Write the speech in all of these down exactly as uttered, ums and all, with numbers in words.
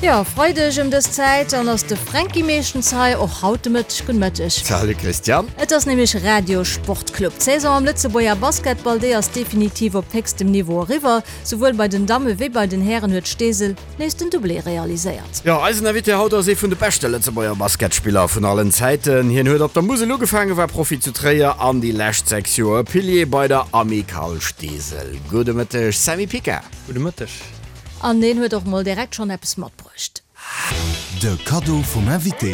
Jo, Freideg ëm dës Zäit, dann ass de Fränki meeschtens hei, och haut de Mëtteg. Gudde Mëtteg. Salut Christiane. Et ass nämlech Radio Sportclub. D'Saison am Lëtzebuerger Basketball, déi ass definitiv op héchstem Niveau eriwwer. Souwuel bei den Damme wéi bei den Hären huet Steesel nees den Doublé realiséiert. Jo, eisen Invité haut ass ee vun de beschte Lëtzebuerger Basketspiller vun allen Zäiten. Hien huet op der Musel ugefaangen, war Profi zu Tréier an déi lescht sechs Joer Pilier bei der Amicale Steesel. Gudde Mëtteg Sammy Pica. Gudde Mëtteg. An deen huet och mol direkt schonn eppes matbruecht. De Kaddo vum Invité.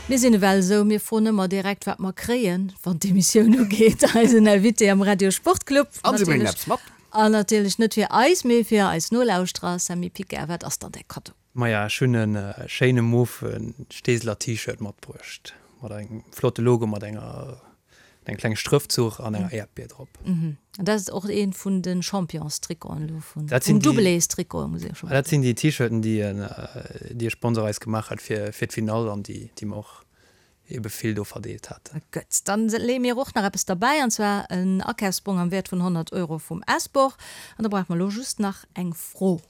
Mir sinn ewell esou, mir froen ëmmer direkt, wat mer kréien, wann d'Emissioun ugeet. Eisen Invité am Radio Sportclub. An si bréngen eppes mat. An natierlech net fir eis, mee fir eis Nolauschterer. Sammy Piquet, wat ass dann däi Kaddo? Maja, ech hunn e schéine mofe Steeseler T-Shirt matbruecht, mat engem flotte Logo, mat enger Eng kleng Strëftzuch an enger Äerdbier drop. Mhm. An dat ass och eent vun de Championstrikoten elo, vun den Doublés-Trikoten, muss ee jo scho bal soen. Dat sinn déi T-Shirten, déi déi e Sponsor eis gemaach hat fir fir d'Finall an déi déi mer och ebe vill do verdeelt haten. Gutt, dann leeë mir och nach eppes derbäi, an zwar en Akafsbong am Wäert vun honnert Euro vum S-Bor. An da brauche mer elo just nach eng Fro.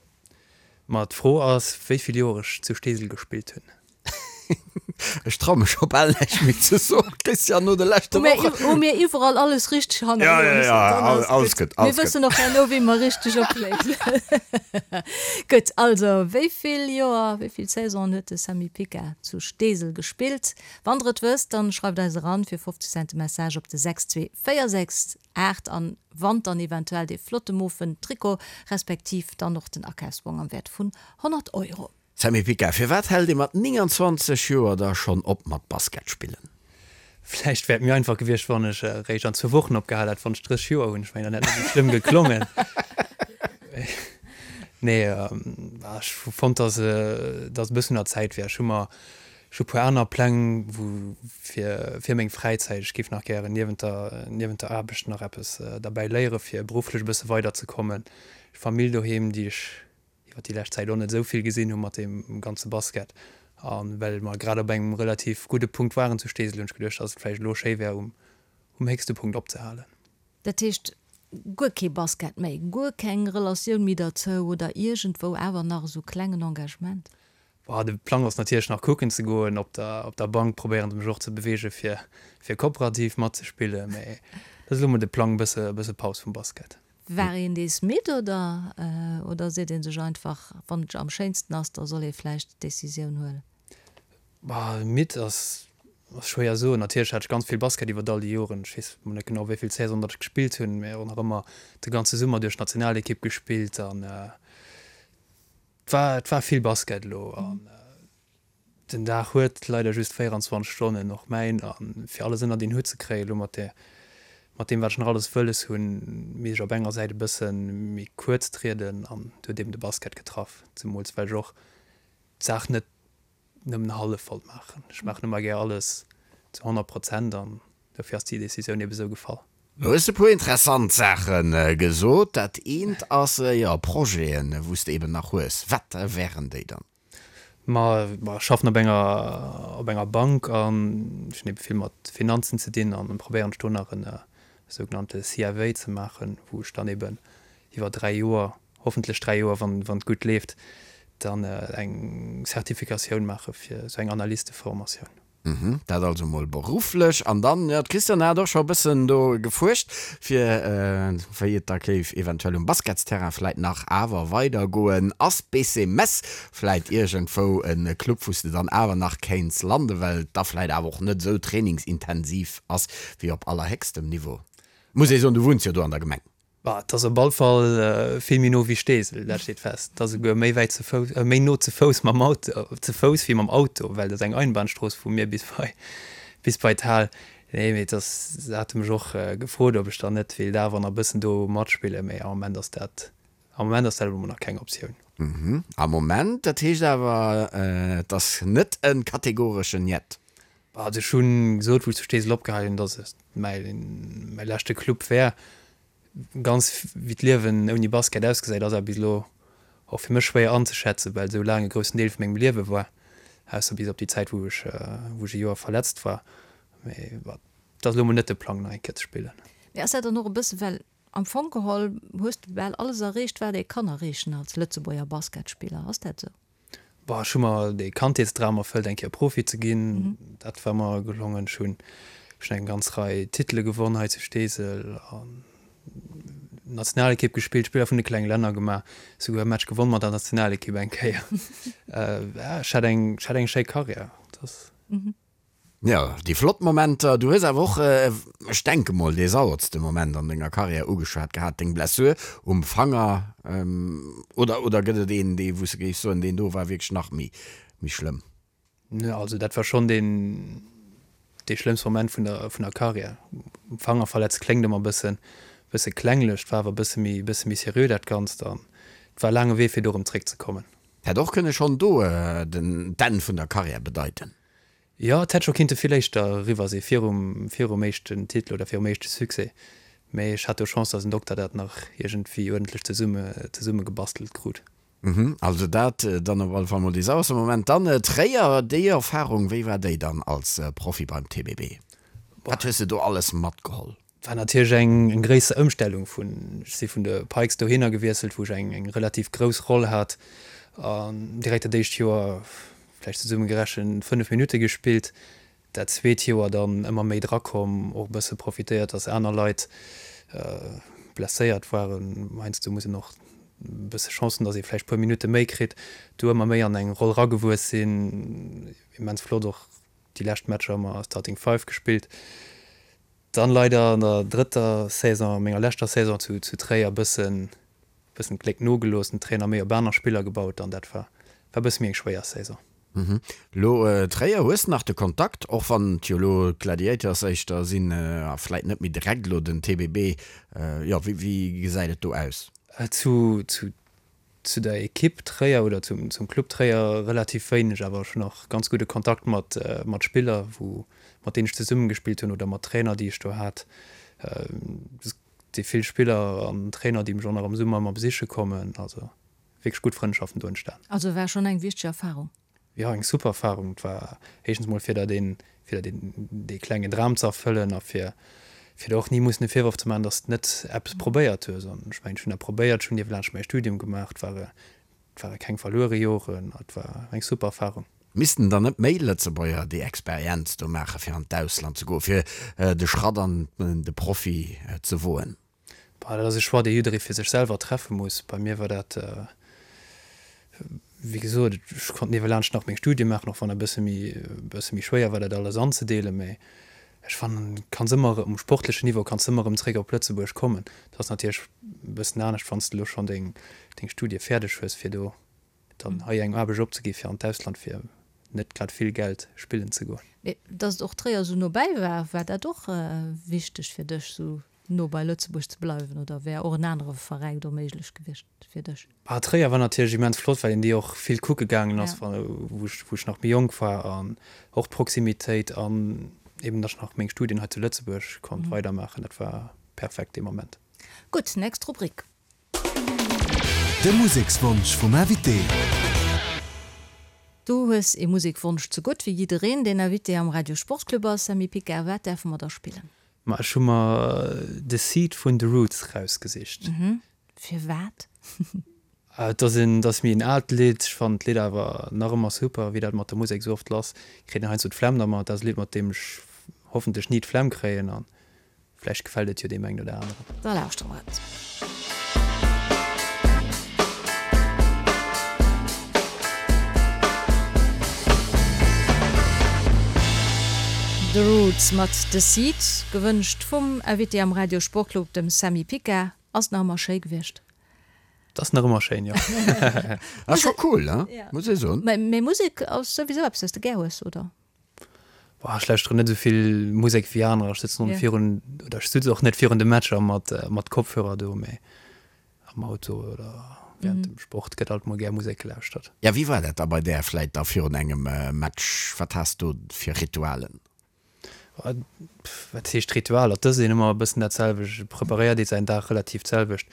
Ma d'Fro ass, wéi vill Joer ech zu Steesel gespillt hunn. Ech trau mech scho bal näischt méi ze soen, Christian, no de leschte Wochen. Hu mir iwwerall alles richteg hannerluecht? Ja, ja, ja, alles gutt, alles gutt. Mir wëssen och herno, wéi mer richteg opléisen. Gutt, also, wéi vill Joer, wéi vill Saisonen huet de Samy Picard zu Steesel gespillt? Wann der et wësst, dann schreift eis eran fir fofzeg Cent de Message op de sechs zwee véier sechs aacht an wannt dann eventuell dee flotte mofen Trikot, respektiv dann och den Akafsbong am Wäert vun honnert Euro. Sammy Pica, Firwat hält ee mat nénganzwanzeg Joer da schonn op mat Basket spillen? Vläicht wär et méi einfach gewiescht, wann ech eréischt an zwou Wochen opgehal hätt, wann ech drësseg Joer hunn. Ech mengen, dann hätt et net esou schlëmm geklongen. Nee, ech hu fonnt, dass et e bëssen un der Zäit wär. Ech hu mer, ech hu e puer aner Pläng, wou fir, fir meng Fräizäit. Ech géif nach gären niewent der, niewent der Aarbecht nach eppes derbäi léiere fir berufflech e bësse weiderzekommen. Famill doheem, déi ech iwwer déi lescht Zäit och net esou vill gesinn hu mat deem ganze Basket. A well mer grad op engem relativ gudde Punkt waren zu Steesel, hunn ech geduecht, dass et vläicht elo schéi wär, um um héchste Punkt opzehalen. Dat heescht, guer kee Basket méi, guer keng Relatioun méi derzou oder iergendwou awer nach esou klengen Engagement? Boah, de Plang ass natierlech nach kucken ze goen. Op der op der Bank probéieren se mech och ze beweegen, fir fir kooperativ matzespillen, mä dat ass elo mol de Plang, bësse bësse Paus vum Basket. War een dees midd oder oder seet ee sech einfach, wann et am schéinsten ass, da soll ee vläicht d'Decisioun huelen? Bah, midd ass ass schwéier soen. Natierlech hat ech ganz vill Basket iwwert all déi Joren. Ech weess mol net genau wéi vill Saison datt ech gespillt hunn, mä och nach ëmmer de ganze Summer duerch d'Nationalekipp gespillt an et war et war vill Basket elo an Den Dag huet leider just véieranzwanzeg Stonnen, och mäin, a fir alles ënnert een Hutt ze kréien, elo mat där, mat deem wat ech nach alles wëlles hunn, misst ech op enger Säit e bësse méi kuerz trieden an do huet eben de Basket getraff, zemools well ech och d'Saach net nëmmen hallef wollt maachen. Ech maachen ëmmer gär alles zu honnert Prozent an dofir ass déi Decisioun eben esou gefall. Du hues e puer interessant Saache gesot. Dat eent ass, jo, Projeten, wou s de eben nach hues. Wat wären déi dann? Ma ech schaffen op enger op enger Bank an ech hunn ebe vill mat Finanzen ze dinn an probéieren ech do nach en sougenannte C F A ze maachen, wou ech dann eben iwwer dräi Joer, hoffentlech dräi Joer, wann wann et gutt leeft, dann eng Zertifikatioun maache fir esou eng Analysteformatioun. Mhm, dat also mol berufflech. An dann, jo, d'Christiane hat och scho e bëssen do gefuerscht, fir wéi et da géif eventuell um Basketsterrain vläit nach awer weidergoen. Ass B C Metz vläit iergendwou e Club, wou s de dann awer nach kéints landen, well et da vläit awer och net esou trainingsintensiv ass wéi op allerhéchstem Niveau? Muss ee soen, du wunns jo do an der Gemeng. Bah, et ass op all Fall vill méi no wéi Steesel, dat steet fest. Et ass esouguer méi wäit ze Fouss, méi no ze Fouss mam Auto, ze Fouss wéi mam Auto, well et ass eng Einbahnstrooss vu mir bis bei, bis bei d'Hal. Nee, mee et ass, se hate mech och gefrot, ob ech dann net wéilt awer nach e bëssen do matspillen, mee am Moment ass dat, am Moment ass dat elo mol nach keng Optioun. Mhm, am Moment, dat heescht awer, et ass net e kategoreschen Njet? Also ech hu gesot, wou ech zu Steesel opgehal hunn, datt et mäi, mäi leschte Club wär. Ganz wéi d'Liewen ouni Basket ausgesäit, ass awer bis elo och fir mech schwéier anzeschätzen, well et esou laang e groussen Deel vu mengem Liewe war, ausser bis op déi Zäit, wou ech wou ech e Joer verletzt war. Mee et ass elo mol net de Plang, nach eng Kéier ze spillen. Mee ass dat dann och e bësse well Am Fong geholl hues de bal alles erreecht, wat ee kann erreechen als Lëtzebuerger Basketspiller. Ass dat esou? Boah, ech hu mer dee Kandheetsdram erfëllt, eng Kéier Profi ze ginn. Dat war mer gelongen. Ech hunn ech hunn eng ganz Rei Titele gewonn hei zu Steesel an Nationalekipp gespillt, Spiller vun de klenge Länner gemaach, souguer e Match gewonn mat der Nationalekipp eng Kéier. Ech hat eng ech hat eng schéi Karriär. Dat ass. Jo, déi flott Momenter. Du hues awer och, ech denke mol, dee sauertste Moment an denger Karriär ugeschwat gehat, deng Blessur um Fanger. Oder, oder gëtt et een, dee wou s de géifs soen, deen do war wierklech nach méi, méi schlëmm? Nö, also dat war schonn deen, dee schlëmmste Moment vun der, vun der Karriär. Um Fanger verletzt kléngt ëmmer e bëssen, bësse klenglech, et war awer e bësse méi, bësse méi seriö dat Ganzt an et war e laange Wee fir do erëm zréckzekommen. Hätt och kënne schonn do den, d'Enn vun der Karriär bedeiten. Jo, et hätt scho kinnte vill éischter eriwwer si virum, virum éischten Titel oder virum éischte Succès. Mee ech hat do Chance, datt en Dokter dat nach iergendwéi uerdentlech zesumme, zesummegebastelt krut. Mhm, also dat dann op alle Fall mol dee sauerste Moment. Dann Tréier, déi Erfarung, wéi war déi dann als Profi beim T B B? Wat hues de do alles matgeholl? War natierlech eng, eng gréisser Ëmstellung vun, ech si vun de Pikes dohinner gewiesselt, wou ech eng, eng relativ grouss Roll hat an direkt dat éischt Joer vläicht zesummegerechent fënnef Minutte gespillt, dat zweet Joer dann ëmmer méi drakomm, och e bësse profitéiert, dass aner Leit blesséiert waren. Heiansdo muss een och e bësse Chance hunn, dass ee vläicht e puer Minutte méi kritt, do ëmmer méi an eng Roll ragewuess sinn. Immens flott och déi lescht Matcher ëmmer Starting Five gespillt. Dann leider an der drëtter Saison, menger leschter Saison zu Tréier, e bëssen bëssen d'Gléck nogelooss, den Trainer méi op aner Spiller gebaut an dat war war bësse méi eng schwéier Saison. Lo Tréier, hues de nach de Kontakt, och wann et jo lo d'Gladiators éischter sinn a vläit net méi direkt lo den T B B? Jo, wéi wéi gesäit et do aus? Zu zu zu der Ekipp Tréier oder zum zum Club Tréier relativ wéineg, awer ech hunn nach ganz gudde Kontakt mat mat Spiller wou mat deenen ech zesumme gespillt hunn oder mat Trainer déi ech do hat. Si vill Spiller an Trainer, déi mech och nach am Summer ëmmer besiche kommen. Also wierklech gutt Frëndschaften do entstan. Also war schonn eng wichteg Erfarung. Jo, eng super Erfarung. Et war éischtens mol fir der deen, fir der deen, dee klengen Dram ze erfëllen a fir, fir der och ni mussen e Virworf ze maachen, dass de net eppes probéiert hues. An ech mengen, ech hunn dat probéiert, ech hunn niewelaanscht mäi Studium gemaach. Et ware, et ware keng verluere Joren. Et war eng super Erfarung. Missten dann net méi Lëtzebuerger déi Experienz do maachen, fir an d'Ausland ze goen, fir de Schratt an de Profi ze woen? Bah, dat ass e Choix, dee jidderee fir sech selwer treffe muss. Bei mir war dat, wéi gesot, ech konnt niewelaanscht nach meng Studie maachen, och wann e bësse méi, e bësse méi schwéier war, dat alles anzedeelen. Mä ech fannen, kanns ëmmer um sportlechen Niveau kanns ëmmer erëm zréck op Lëtzebuerg kommen. Dat ass natierlech e bëssen anescht, wann s de elo schonn deng, deng Studie fäerdeg hues, fir do dann hei eng Aarbecht opzegi fir an d'Ausland fir net grad vill Geld spillen ze goen. Mee dass et och Tréier esou no bäi war, war dat och wichteg fir dech, esou no bei Lëtzebuerg ze bleiwen oder wär och en anere Veräin do méiglech gewiescht fir dech? Ah, Tréier war natierlech immens flott, well een déi och vill kucke gaangen ass, wou ech wou ech nach méi jonk war an och d'Proximitéit an eben dass ech nach meng Studien hei zu Lëtzebuerg konnt weidermaachen, dat war perfekt dee Moment. Gutt, nächst Rubrik. De Musekswonsch vum Invité. Du hues ee Musekwonsch zegutt, wéi jiddereen, deen Invité am Radio Sportclub ass. Sammy Picard, wat däerfe mer da spillen? Ma ech hu mer The Seed vun The Roots rausgesicht. Firwat? Et ass en, et ass méi en aalt Lidd. Ech fannen d'Lidd awer nach ëmmer super. Wéi dat mat der Musek esou oft ass, kritt een heiansdo d'Flemm dermat. Dat ass e Lidd, mat deem ech hoffentlech ni d'Flemm kréien an vläicht gefält et jo deem engen oder aneren. Da lauschtere mer et. The Roots mat The Seed, gewënscht vum Invité am Radio Sportclub, dem Sammy Picard. Ass nach ëmmer schéi gewiescht. Et ass nach ëmmer schéin, jo. Ass scho cool, he? Muss ee soen. Mee Musek ass souwisou eppes, wat s de gär hues, oder? Boah, ech lauschteren net esou vill Musek wéi anerer. Ech sëtzen och net virun, oder ech sutz och net virun de Matcher mat, mat Kopfhörer do, mee am Auto oder während dem Sport gëtt alt mol gär Musek gelauschtert. Ja, wéi war dat da bei där vläit da virun engem Match? Wat has do fir Ritualen? Wat heescht Ritualer? Et ass een ëmmer e bëssen dat selwecht, et preparéiert ee säin Dag relativ d'selwecht.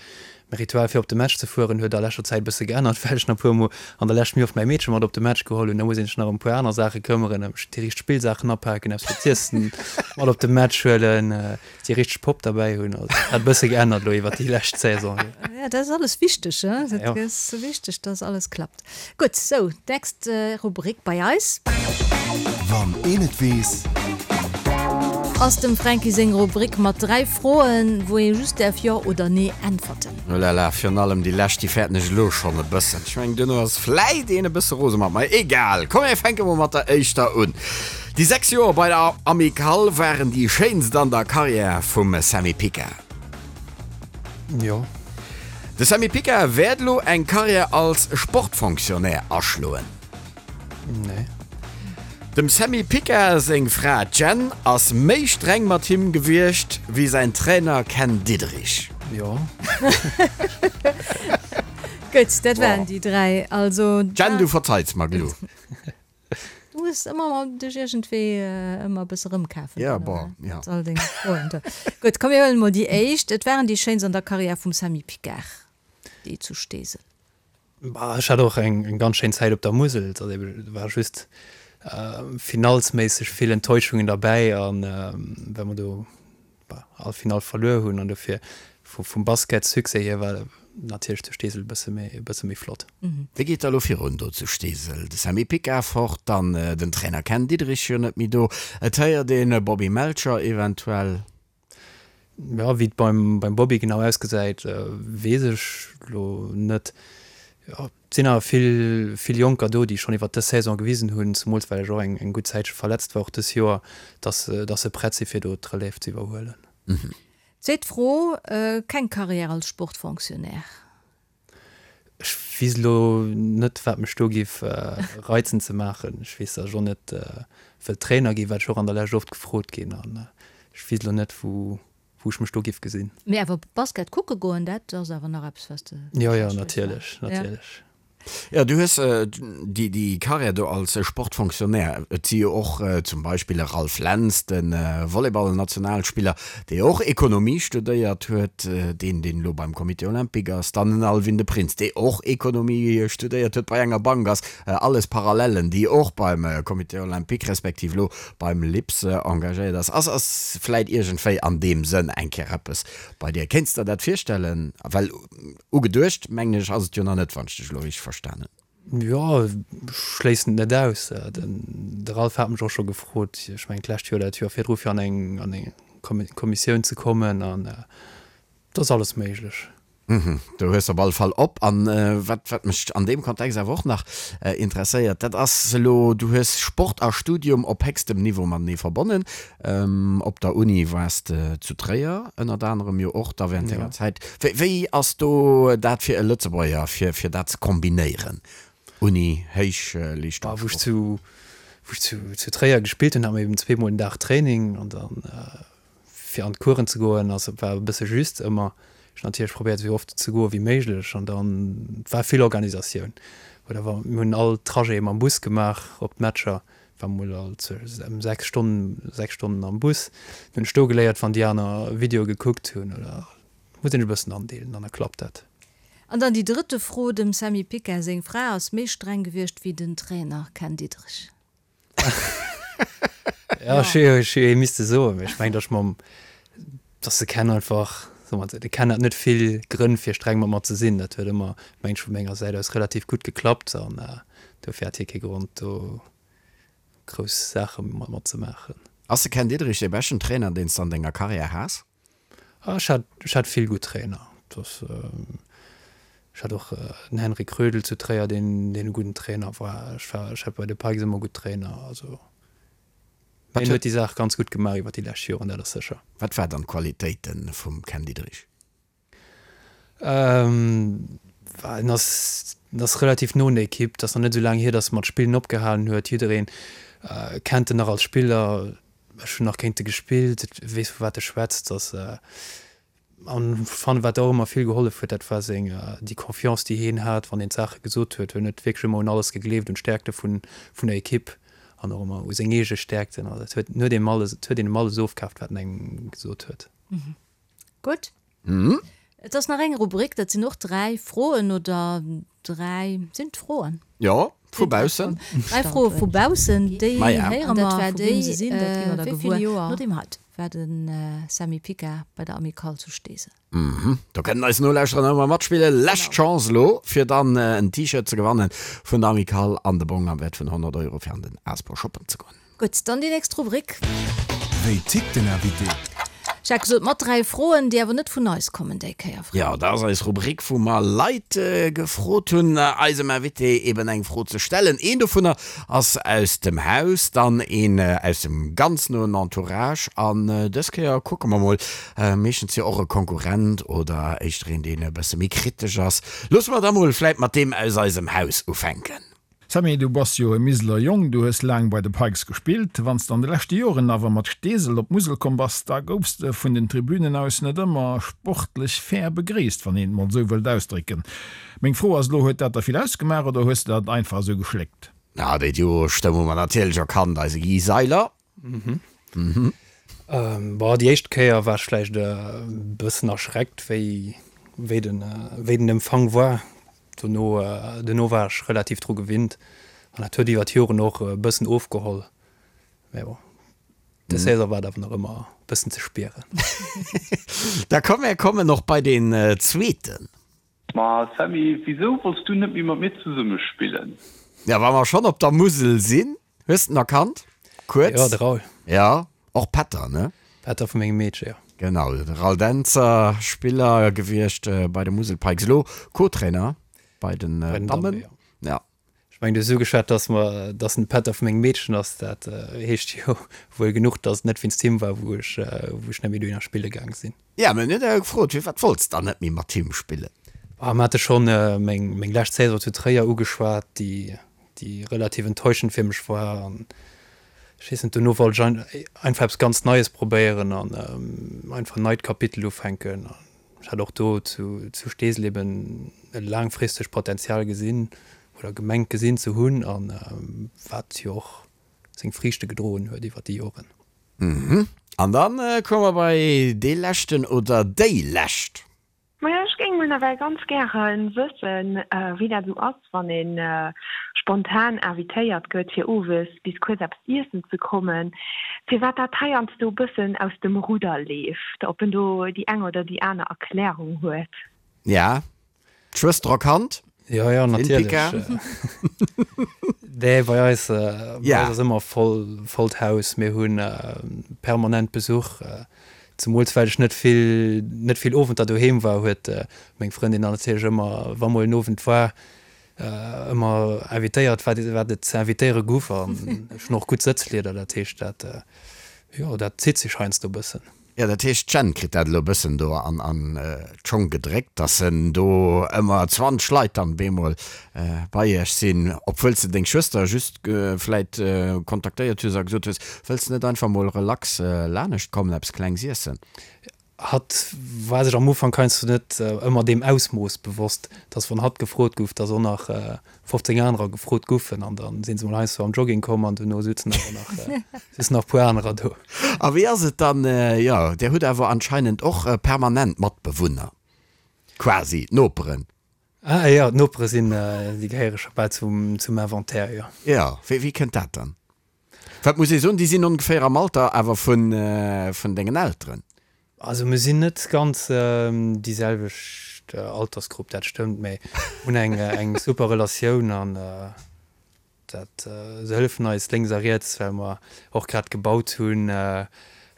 Mäi Ritual fir op de Match ze fueren huet a leschter Zäit e bësse geännert, well ech nach e puer mol an der Lescht méi oft mäi Meedche mat op de Match geholl hunn. Da muss een sech nach ëm e puer aner Saache këmmeren, ëm déi richteg Spillsaachen apaken, eppes fir z'iessen mat op de Match huelen, déi richteg Popp derbäi hunn. Also dat hat e bësse geännert elo iwwer déi lescht Saison. Jo, dat ass alles wichteg, he? Dat ass wichteg, dass alles klappt. Gutt, sou, nächst Rubrik bei eis. Wann een et weess. Ass dem Fränki seng Rubrik mat dräi Froen, wou ee just däerf Jo oder Nee äntwerten. Oh la la, virun allem déi lescht, déi fäerten ech elo schonn e bëssen. Ech mengen, duerno ass vläit een e bësse rose mat mer. Egal, komm mir fänke mol mat der éischter un. Déi sechs Joer bei der Amicale waren déi schéinst an der Karriär vum Sammy Picard. Jo. De Sammy Picard wäert elo eng Karriär als Sportfonctionnaire aschloen. Nee. Dem Sammy Picard seng Fra Jen ass méi streng mat him gewiescht wéi säin Trainer Ken Diederich. Jo. Gutt, dat waren déi dräi. Also. Jen, du verzeits mer gelo. Du muss ëmmer mol dech iergendwéi ëmmer e bësse rëmkafen. Ja, bon, ja. Mat all denge Froen do. Gutt, komm mir huelen emol déi éischt. Et waren déi schéinst an der Karriär vum Sammy Picard, déi zu Steesel. Bah, ech hat och eng eng ganz schéin Zäit op der Musel. Et ass ebe, et war just finallsméisseg vill Enttäuschungen derbäi an well mer do bah all Finall verluer hunn an dofir vum Basketsuccès hier war natierlech zu Steesel e bësse méi e bësse méi flott. Wéi geet da lo virun do zu Steesel? De Sammy Picard fort, dann den Trainer Ken Diederich jo net méi do, et héiert een Bobby Melcher eventuell. Jo, wéi et beim beim Bobby genau ausgesäit, weess ech lo net. Jo, et sinn awer vill vill Jonker do, déi schonn iwwert dës Saison gewisen hunn, zemools well ech och eng eng gutt Zäitche verletzt war och dës Joer, dass dass se prett si fir do d'Relève ze iwwerhuelen. Zweet Fro, Keng Karriär als Sportfonctionnaire? Ech weess elo net, wat mech do géif reizen ze maachen. Ech weess, datt ech och net wëll Trainer ginn, wat ech och an der Lescht oft gefrot ginn. An ech weess elo net, wou wou ech mech do géif gesinn. Mee awer Basket kucke goen, dat ass awer nach eppes, wat s de. Jo, jo, natierlech, natierlech. Jo, du hues déi, déi Karriär do als Sportfonctionnaire. Et si jo och zum Beispill e Ralph Lentz, de Volleyball-Nationalspiller, dee och Ekonomie studéiert huet, deen, deen elo beim Comité olympique ass, dann en Alwin de Prins, dee och Ekonomie studéiert huet, bei enger Bank ass. Alles Parallellen, déi och beim Comité olympique respektiv elo beim LIPS engagéiert ass. Ass, ass vläit iergendwéi an deem Sënn eng Kéier eppes bei dir? Kéints der dat virstellen? Well ugeduecht, mengen ech, ass et jo nach net, wann ech dech elo richteg verstan hunn. Jo, ech schléissen et net aus. De Ralph hat mech och scho gefrot, ech mengen d'lescht Joer oder dat Joer virdru, fir an eng an eng Kommissioun ze kommen an et ass alles méiglech. Do hues de op alle Fall op. An wat wat mech an deem Kontext awer och nach interesséiert, dat ass elo, du hues Sport a Studium op héchstem Niveau matenee verbonnen. Op der Uni waars de zu Tréier ënnert anerem jo och da während denger Zäit. Wéi wéi ass do dat fir e Lëtzebuerger, fir fir dat ze kombinéieren, Uni, Héichleeschtungssport? Wou ech zu wou ech zu zu Tréier gespillt hunn, hate mer eben zweemol den Dag Training an dann fir an d'Coursen ze goen ass war e bësse just ëmmer. Ech hunn natierlech probéiert esou oft ze goe wéi méiglech an dann war vill Organisatioun. Oder wa mir hunn all Trajet mam Bus gemaach op d'Matcher, war mol all ëm sechs Stonnen, sechs Stonnen am Bus. Dann hunn ech do geléiert wann déi aner Videoe gekuckt hunn oder muss een sech e bëssen andeelen an da klappt dat. An dann déi drëtte Fro, Dem Sammy Picard seng Fra ass méi streng gewiescht wéi den Trainer Ken Diederich. Ja, ech hu ech hu misste soen, mee ech mengen, datt ech mam, datt de Ken einfach, soe mer esou, de Ken hat net vill Grënn fir streng mat mer ze sinn. Dat huet ëmmer, mengen ech, vu menger Säit aus relativ gutt geklappt an dofir hat hie kee Grond do grouss Saache mat mer ze maachen. Ass de Ken Diederich dee beschten Trainer, deen s de an denger Karriär has? Ech hat, ech hat vill gutt Trainer. Dat, ech hat och den Henri Krödel zu Tréier, deen, deen e gudden Trainer war. Ech war, ech hat bei de Pikes ëmmer gutt Trainer. Also hien huet déi Saach ganz gutt gemaach iwwer déi lescht Joren, dat ass sécher. Wat war dann d'Qualitéite vum Ken Diederich? En ass, en ass relativ no un der Ekipp. Et ass nach net esou laang hier, datt e mat Spillen opgehalen huet. Jidderee kennt en nach als Spiller. Ech hunn nach géint e gespillt, et weess vu wat e schwätzt, dass an fannen wat och ëmmer vill gehollef huet, dat war seng déi Confiance déi hien hat wann een d'Saache gesot huet. Hien huet wierklech ëmmer un alles gegleeft, un d'Stäerkte vun vun der Ekipp an och ëmmer u seng eege Stäerkten. Also et huet huet een alles, et huet een em alles ofkaaft, wat en engem gesot huet. Gutt. Et ass nach eng Rubrik, dat sinn och dräi Froen oder dräi, sinn et Froen? Jo, vu baussen. Dräi Froe vu baussen, déi héiere mer, vu wem se sinn, dat gi mer da gewuer. No deem hei war de Samy Picard bei der Amicale zu Steesel. Do kënnen eis Nolauschterer ëmmer matspillen. Lescht Chance elo, fir dann en T-Shirt ze gewannen vun der Amicale an de Bong am Wäert vun honnert Euro fir an den Aspo shoppen ze goen. Gutt, dann déi nächst Rubrik. Wéi tickt den Invité? Ech hat gesot, mat dräi Froen, déi awer net vun eis kommen déi Kéier. Jo, dat ass eis Rubrik, wou mer Leit gefrot hunn, eisem Invité eben eng Fro ze stellen. Een dovunner ass aus dem Haus, dann een aus dem ganz noen Entourage an dës Kéier kucke mer mol, meeschtens jo och e Konkurrent oder éischter een, deen e bësse méi kritesch ass. Loosse mer da mol vläit mat deem aus eisem Haus ufänken. Sammy, du bass jo e Miseler Jong, du hues laang bei de Pikes gespillt. Wann s de an de leschte Joren awer mat Steesel op d'Musel komm bass, da goufs de vun den Tribünen aus net ëmmer sportlech fair begréisst, wann een et mol esou wëllt ausdrécken. Meng Fro ass elo, Huet dat der vill ausgemaach oder hues de dat einfach esou geschléckt? Na, déi Duo-Stëmm hu mer natierlech erkannt, eise Guy Seiler. Bon, déi éischt Kéier war ech vläicht e bëssen erschreckt, wéi wéi den wéi den Empfang war. Dono dono war ech relativ dru gewinnt an dat huet iwwer d'Joren och e bëssen ofgeholl. Mä bon, de Saison war et awer nach ëmmer e bëssen ze spieren. Da komm, mär kommen och bei deen zweeten. Ma Sammy, wisou wolls du net méi mat mir zesumme spillen? Ja, wa mer schonn op der Musel sinn, hues de en erkannt? Kuerz? Jo, de Raoul. Ja, och Pätter, ne? Pätter vu mengem Meedche, jo. Genau, de Raoul Dentzer, Spiller gewiescht bei de Musel Pikes, elo Co-Trainer bei den Dammen. Ja. Ech mengen, du hues ugeschwat, dass mer, dass en Pätter vu mengem Meedchen ass. Dat heescht jo wuel genuch, dass et net wéinst him war, wou ech, wou ech net méi dohinner spille gaang sinn. Ja, mir hunn jo gefrot, firwat wollts de dann net méi mat him spillen? Bah, mir hate schonn meng, meng lescht Saison zu Tréier ugeschwat, déi, déi relativ enttäuschend fir mech war. An ech weess net, dono wollt ech einfach eppes ganz Neies probéieren an einfach en neit Kapitel ufänken. An ech hat och do zu, zu Steesel eben e laangfristegt Potenzial gesinn oder gemengt gesinn ze hunn an wat jo och seng Friichte gedroen huet iwwer déi Joren. An dann komme mer bei dee leschten oder déi lescht. Majo, ech géing mol nawell ganz gäre wëssen, wéi dat esou ass, wann ee spontan invitéiert gëtt, fir owes bis kuerz eppes iessen ze kommen, firwat dat heiansdo e bëssen aus dem Rudder leeft, ob en do déi eng oder déi aner Erklärung huet. Ja, d'Schwëster erkannt. Jo, jo, natierlech. Nee, bei eis, bei eis ass ëmmer voll, vollt Haus. Mir hu permanent Besuch. Zemools well ech net vill, net vill Owenter doheem war, huet meng Frëndin dann natierlech ëmmer, wa mol en Owend war, ëmmer invitéiert, wat, wat et ze invitéiere guff. An ech hunn och gutt Sëtzlieder, dat heescht, dat, jo, dat zitt sech heiansdo e bëssen. Jo, dat heescht, d'Jenn kritt dat elo e bëssen do an, an d'Schong gedréckt, dass en do ëmmer zwanzeg Leit dann bemol bei iech sinn, obwuel s de deng Schwëster just vläit kontaktéiert hues a gesot hues, Wëlls de net einfach mol relax lanescht kommen, eppes Klengs iessen? Hatt war sech am Ufank heiansdo net ëmmer deem Ausmooss bewosst, dass wann hatt gefrot gouf, dass och nach fofzéng anerer gefrot goufen an da si se mol heiansdo am Jogging komm an duerno sutzen awer nach, sutzen nach e puer anerer do. A wéi ass et dann, jo, Dir hutt awer anscheinend och permanent Matbewunner, quasi d'Noperen? Ah jo, d'Nopere sinn, déi gehéiere scho bal zum, zum Inventaire, jo. Jo, wéi, wéi kënnt dat dann? Wat muss ee soen, déi sinn ongeféier am Alter awer vun, vun dengen Elteren. Also mir sinn net ganz déi selwecht Altersgrupp, dat stëmmt, mä hunn eng, eng super Relatioun an Dat, se hëllefen eis lénks a riets, well mer och grad gebaut hunn.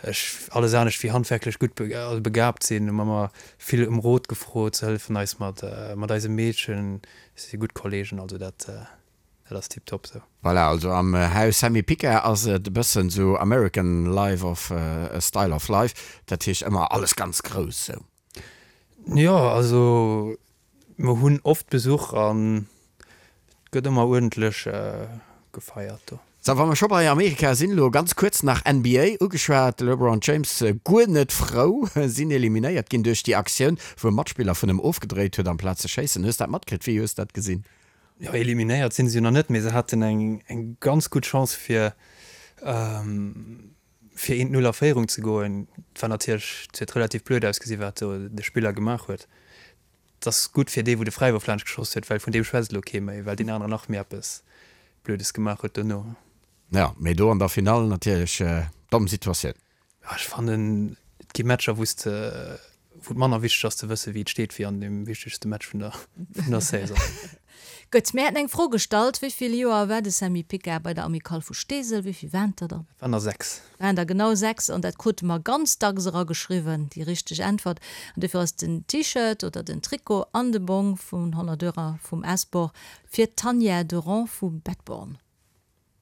Ech alles anescht wéi handwerklech gutt begabt sinn, hu mer ëmmer vill ëm Rot gefrot. Se hëllefen eis mat mat eisem Meedchen, si gutt Kollegen, also dat dat ass tiptop sou. Voilà, also am Haus Sammy Picard ass et e bëssen sou American life of style of life, dat heescht ëmmer alles ganz grouss sou. Jo, also mer hunn oft Besuch an et gëtt ëmmer uerdentlech gefeiert do. Sou, wa mer scho bei Amerika sinn, elo ganz kuerz nach N B A ugeschwat, de LeBron James guer net frou, sinn eliminéiert ginn duerch déi Aktioun, wou e Matspiller vun em ofgedréit huet amplaz ze schéissen. Hues dat matkritt? Wéi hues dat gesinn? Jo, eliminéiert sinn se jo nach net, mee se haten eng eng ganz gutt Chance fir fir eent Null a Féierung ze goen. Et war natierlech, et huet relativ blöd ausgesi wat do de Spiller gemaach huet. Et ass gutt fir dee wou de Fräiwurf laanscht geschoss huet, well vun deem schwätzt elo kee méi, well deen aneren nach méi eppes Blödes gemaach huet dono. Jo, mee do an der Finall natierlech domm Situatioun. Jo, ech fannen, et gi Matcher, wou s de, wou et manner wichteg ass ze wëssen, wéi et steet, wéi an deem wichtegste Match vun der, vun der Saison. Gutt, mir haten eng Fro gestallt, Wéi vill Joer war de Sammy Picard bei der Amicale vu Steesel? Wéi vill waren der dann? Et waren der sechs. Waren der genau sechs, an dat krute mer ganz dacks erageschriwwen, déi richteg Äntwert. An dofir ass den T-Shirt oder den Trikot an de Bong vun honnert Euro vum S-Bor fir d'Tanja Durand vu Bettborn.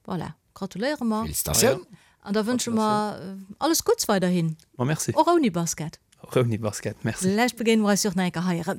Voilà, gratuléiere mer. Félicitatiounen! An da wënsche mer alles Gutts weiderhin. Ma merci. Och ouni Basket. Och ouni Basket, merci. Vläicht begéine mer eis jo och nach eng Kéier hei erëm.